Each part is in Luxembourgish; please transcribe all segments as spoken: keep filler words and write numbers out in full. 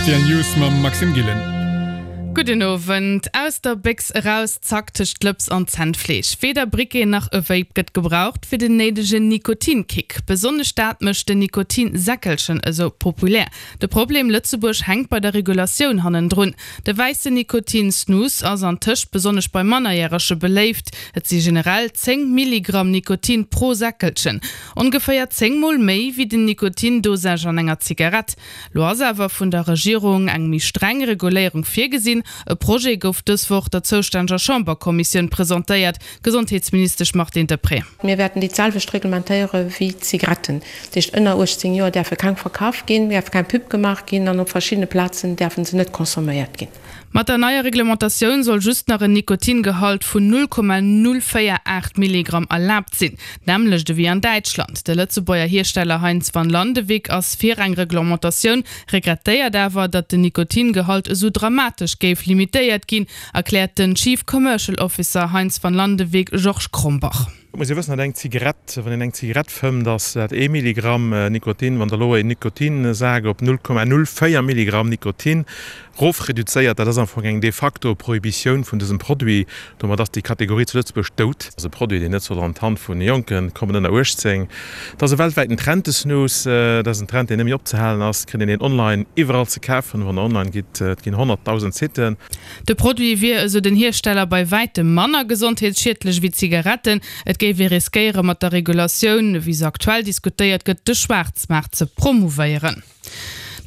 R T L News mam Maxime Gillen. Gudden Owend. Aus der Béchs eraus, zack, tëscht Lëps an Zännfleesch. Weder Briquet nach e Vape gëtt gebraucht fir den néidegen Nikotinkick. Besonnesch dat mécht den Nikotinsäckelchen esou populär. De Problem, Lëtzebuerg hänkt bei der Regulatioun hannendrun. De wäissen Nikotin-Snus ass antëscht besonnesch bei Mannerjärege beléift. Et si generell zéng Milligramm Nikotin pro Säckelchen. Ongeféier zéng Mol méi wéi den Nikotin-Dosage an enger Zigarett. Lo ass awer vun der Regierung eng méi streng Reguléierung virgesinn. E Projet gouf dës Woch der zoustänneger Chamberkommissioun presentéiert, Gesondheetsministesch Martine Deprez. Mir wäerten déi d'selwecht reglementéiere wéi d'Zigaretten. Dat heescht, ënner uechtzéng Joer däerfe keng verkaf ginn, däerf keng Pub gemaach ginn an op verschiddene Plazen däerfe se net consomméiert ginn. Mat der neier Reglementatioun soll just nach en Nikotingehalt vun null Komma null véier aacht Milligramm erlaabt sinn, d'nämmlecht ewéi an Däitschland. De Lëtzebuerger Hiersteller Heintz van Landewyck ass fir eng Reglementatioun, regrettéiert awer, datt den Nikotingehalt esou dramatesch géif limitéiert ginn, erkläert den Chief Commercial Officer Heintz van Landewyck Georges Krombach. Et muss ee wëssen, datt eng Zigarett, wann een eng Zigarett fëmmt, ass dat ee Milligramm Nikotin. Wann Der elo een Nikotinsak op null Komma null véier Milligramm Nikotin rofreduzéiert, dat ass am Fong eng de facto Prohibitioun vun dësem Produit. Domat ass déi Kategorie zu Lëtzebuerg dout. Dat ass e Produit, deen net soll an d'Hand vun Jonke kommen ënner uechtzéng. Dat ass e weltwäiten Trend, de Snus. Dat ass en Trend, deen net méi opzehalen ass. Et kritt een deen online iwwerall ze kafen. Wann Der online gitt, et ginn honnertdausend Siten. De Produit wier, esou den Hiersteller, bei wäitem manner gesondheetsschiedlech ewéi Zigaretten. Et géif ee riskéiere mat der Regulatioun, ewéi se aktuell diskutéiert gëtt, de Schwaarzmaart ze promouvéieren.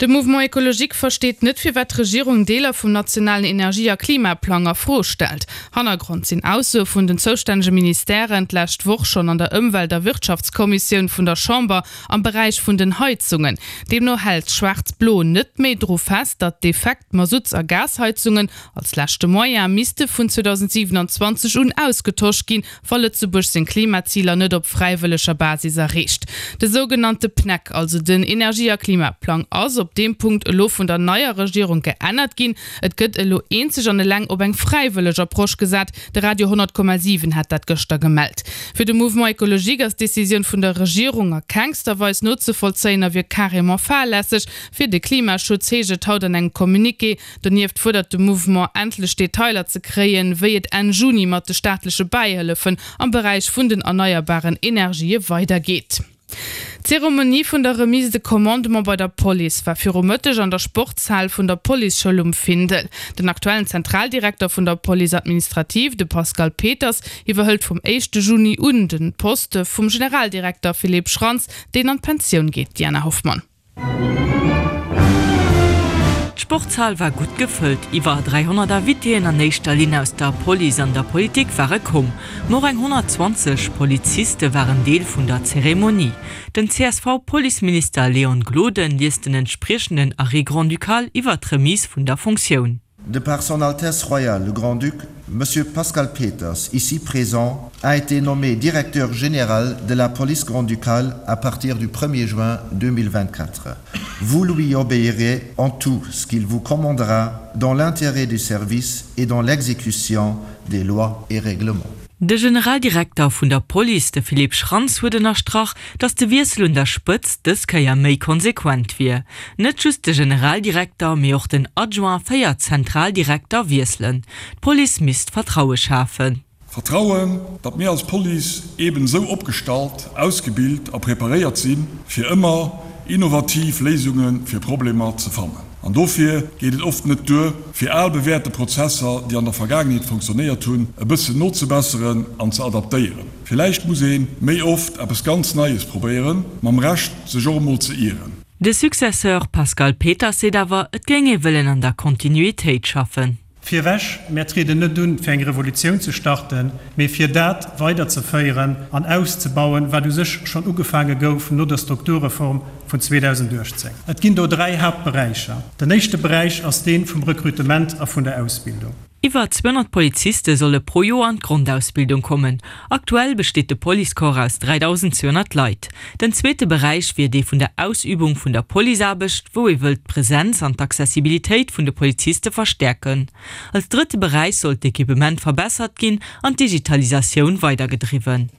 De Mouvement Ecologique versteet net, firwat d'Regierung Deeler vum nationalen Energie a Klimaplang a Fro stellt. Hannergrond sinn Aussoe vun den zoustännege Ministèren d'lescht Woch schonn an der Ëmwelt a Wirtschaftskommissioun vun der Chamber am Beräich vun den Heizungen. Deemno hält Schwaarz-Blo net méi dru fest, datt defekt Masutts a Gasheizungen als leschte Moyen misste vun zweedausendsiewenanzwanzeg un ausgetosch ginn, wa Lëtzebuerg seng Klimaziler net op fräiwëlleger Basis erreecht. De sougenannte PNEC, also den Energie a Klimaplang, ass op deem Punkt elo vun der neier Regierung geännert ginn. Et gëtt elo eenzeg an eleng op eng fräiwëlleg Approche gesat. De Radio honnert Komma siwen hat dat gëschter gemellt. Fir de Mouvement Ecologique ass d'Decisioun vun der Regierung a kengster Weis nozevollzéien a wier carrément fahrlässeg fir de Klimaschutz, heescht et haut an engem Communiqué. Donieft fuerdert de Mouvement, endlech Detailer ze kréien, wéi et Enn Juni mat de staatleche Bäihëllefen am Beräich vun den erneierbaren Energië weidergeet. D'Zeremonie vun der Remise de commandement bei der Police war viru Mëtteg an der Sportshal vun der Policeschoul um Findel. Den aktuellen Zentraldirekter vun der Police administrative, de Pascal Peters, iwwerhëlt vum éischte Juni un de Poste vum Generaldirekter Philippe Schrantz, deen an d'Pensioun geet. Diana Hoffmann. D'Sportshal war gutt gefëllt. Iwwer dräihonnert Invitéen, an éischter Linn aus der Police an der Politik, ware komm. Ma och eng honnertzwanzeg Poliziste waren Deel vun der Zeremonie. Den C S V-Policeminister Léon Gloden liest den entspriechenden Arrêt grand-ducal iwwer d'Remise vun der Fonctioun. De par son Altesse Royale le Grand-Duc, Monsieur Pascal Peters, ici présent, a été nommé directeur général de la police grand-ducale à partir du premier juin deux mille vingt-quatre. Vous lui obéirez en tout ce qu'il vous commandera dans l'intérêt du service et dans l'exécution des lois et règlements. De Generaldirekter vun der Police, de Philippe Schrantz, huet ënnerstrach, datt de Wiessel un der Spëtzt dës Kéier méi konsequent wier. Net just de Generaldirekter, mee och den Adjoint, véier Zentraldirekter wiesselen. D'Police misst Vertraue schafen. Vertrauen, datt mir als Police eben esou opgestallt, ausgebilt a preparéiert sinn, fir ëmmer innovativ Léisunge fir Problemer ze fannen. An dofir geet et oft net duer, fir al bewäerte Prozesser, déi an der Vergaangenheet funktionéiert hunn, e bëssen nozebesseren an ze adaptéieren. Villäicht muss ee méi oft eppes ganz Neies probéieren, mam Recht sech och emol ze ieren. De Successeur Pascal Peters seet awer, et géing ee wëllen an der Kontinuitéit schaffen. Virewech, mär trieden net un, fir eng Revolutioun ze starten, mee fir dat weiderzeféieren an auszebauen, wat u sech schonn ugefaange gouf no der Strukturreform vun zweedausenduechtzéng. Et ginn do dräi Haaptberäicher. Den éischte Beräich ass dee vum Rekrutement a vun der Ausbildung. Iwwer zweehonnert Poliziste solle pro Joer an d'Grondausbildung kommen. Aktuell besteet de Policecorps aus dräidausendzweehonnert Leit. Den zweete Beräich wier dee vun der Ausübung vun der Policeaarbecht, wou ee wëllt d'Presenz an d'Accessibilitéit vun de Poliziste verstäerken. Als drëtte Beräich soll d'Equipement verbessert ginn an d'Digitalisatioun weidergedriwwen.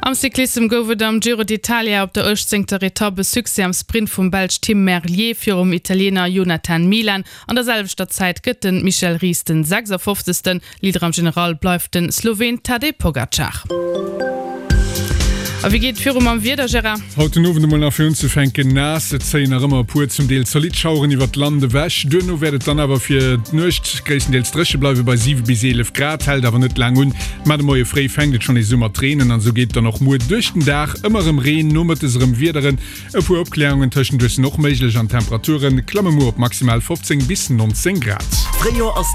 Am Cyclissem gouf et am Giro d'Italia op der uechtzéngter Etapp e Succès am Sprint vum Belsch Tim Merlier virum Italiener Jonathan Milan. An der selwechter Zäit gëtt de Michel Ries den sechsundfofzegsten. Leader am General bleift de Sloween Tadej Pogacar. A wéi geet et viru mam Wieder, Gérard? Haut den Owend emol nach fir unzefänken naass, et zéien nach ëmmer e puer zum Deel zolidd Schaueren iwwert d'Land ewech. Duerno wäert et dann awer fir d'Nuecht gréisstendeels dréche bleiwe bei siwe bis eelef Grad, hält awer net laang un. Mä de Moie fréi fänkt et schonn nees u mat reenen an esou geet et dann och muer duerch den Dag ëmmer erëm Reen, nomëttes erëm Wiederen. E puer Opkläerungen tëschenduerch sinn och méiglech an d'Temperature klamme muer op maximal fofzéng bis nonzéng Grad. Fréijoer ass.